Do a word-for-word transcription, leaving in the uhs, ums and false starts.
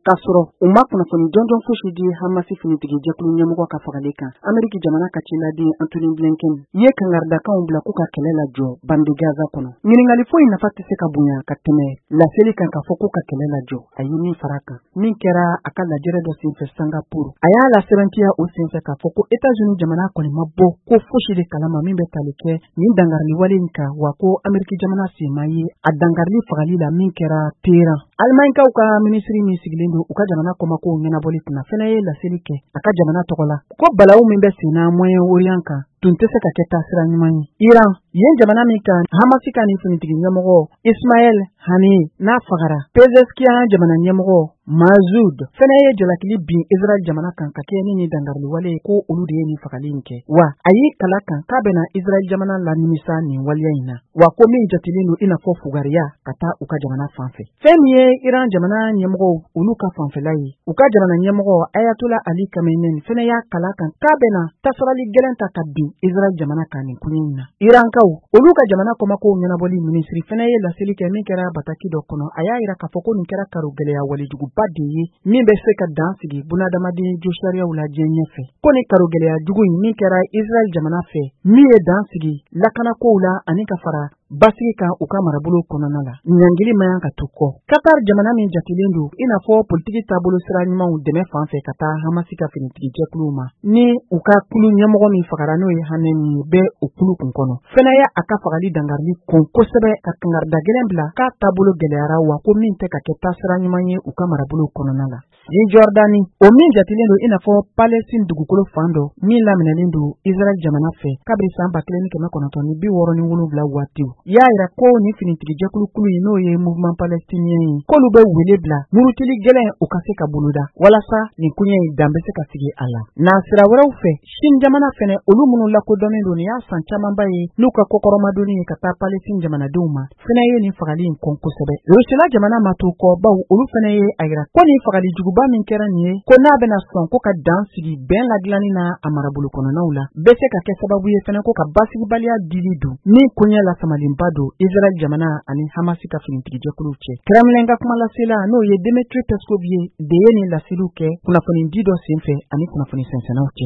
K'a sɔrɔ u ma kunnafoni jɔnjɔn fosi di Hamasi finitigi jɛkulu ɲɛmɔgɔ ka fagali kan, Ameriki jamana ka ciladen Antony Blinken ye kangaridakanw bila k'u ka kɛlɛ lajɔ bande Gaza kɔnɔ. Ɲininkali foyi nafa tɛ se ka bonya ka tɛmɛ laseli kan k'a fɔ k'u ka kɛlɛ lajɔ, a ye min fara kan min kɛra a ka lajɛrɛ dɔ senfɛ Singapour. A y'a lasɛbɛntiya o senfɛ k'a fɔ ko Etats-Unis jamana kɔni ma bɔ ko fosi de kalama min bɛ tali kɛ nin dankariliwale in kan, wa ko Ameriki jamana sen ma ye a dankarili fagali la min kɛra Téhéran. Alimaɲikaw ka minisiri min sigilen don u ka jamana kɔmakow ɲɛnabɔli kunna fɛnɛ ye laseli kɛ a ka jamana tɔgɔ la ko balawu min bɛ senna Moyen-Orient kan tun tɛ se ka kɛ taasira ɲuman ye. Iran, yen jamana min kan Hamasi ka nin finitigi ɲɛmɔgɔ Ismaël Haniyeh n'a fagara, Pezeshkian jamana ɲɛmɔgɔ Masoud fɛnɛ ye jalakili bin Israël jamana kan ka kɛɲɛ ni nin dankariliwale ye, ko olu de ye nin fagali in kɛ, wa a y'i kala kan k'a bɛna Israël jamana lanimisa nin waleya in na, wa ko min jatelen don i n'a fɔ fugariya ka taa u ka jamana fan fɛ. Fɛn min ye Iran jamana ɲɛmɔgɔw olu ka fanfɛla ye, u ka jamana ɲɛmɔgɔ Ayatollah Ali Khamenei fɛnɛ y'a kala kan k'a bɛna tasarali gɛlɛn ta ka bin Israël jamana kan nin koɲɛ in na. Irankaw olu ka jamana kɔmakow ɲɛnabɔli minisiri fɛnɛ ye laseli kɛ min kɛra bataki dɔ kɔnɔ. A y'a yira k'a fɔ ko nin kɛra karo gɛlɛya walejuguba de ye min bɛ se ka dan sigi bunadamaden josariyaw la diɲɛ ɲɛfɛ, ko ni karo gɛlɛya jugu in min kɛra Israël jamana fɛ min ye dan sigi lakanakow la ani ka fara basigi kan u ka marabolo kɔnɔna la, ɲangili man kan ka to kɔ. Qatar jamana min jatelen don i n'a fɔ politiki taabolo sira ɲumanw dɛmɛ fan fɛ ka taa Hamasi ka finitigi jɛkuluw ma, ni u ka kulu ɲɛmɔgɔ min fagara n'o ye Haniyeh ye bɛ o kulu kun kɔnɔ, fɛnɛ ye a ka fagali dankarili kɔn kosɛbɛ ka kangarida gɛlɛn bila k'a taabolo gɛlɛyara, wa ko min tɛ ka kɛ taasira ɲuman ye u ka marabolo kɔnɔna la. Cisjordanie, o min jatelen don i n'a fɔ Palestine dugukolo fan dɔ min laminɛlen don Israël jamana fɛ kabini san ba kelen ni kɛmɛ kɔnɔntɔn ni bi wɔɔrɔ ni wolonwula waatiw, y'a yira ko nin finitigi jɛkulu kulu in n'o ye mouvement palestinien ye, k'olu bɛ wele bila murutili gɛlɛn u ka se ka boloda walasa nin koɲɛ in dan bɛ se ka sigi a la. Nasira wɛrɛw fɛ, Chine jamana fɛnɛ, olu minnu lakodɔnnen don nin y'a san camanba ye n'u ka kɔkɔrɔmadonni ye ka taa Palestine jamanadenw ma, fɛnɛ ye nin fagali in kɔn kosɛbɛ. Rusila jamana ma to kɔ, baw olu fɛnɛ ye a yira ko nin fagali juguba min kɛra nin ye, ko n'a bɛna sɔn ko ka dan sigi bɛn ladilanni na a marabolo kɔnɔnaw la, bɛ se ka kɛ sababu ye fɛnɛ ko ka basigibaliya dili don min koɲɛ lasamalenba don Israël jamana ani Hamasi ka finitigijɛkuluw cɛ. Kremlin ka kumalasela n'o ye Dmitry Peskov ye de ye nin laseliw kɛ kunnafoni di dɔ senfɛ ani kunnafoni sɛnsɛnnaw cɛ.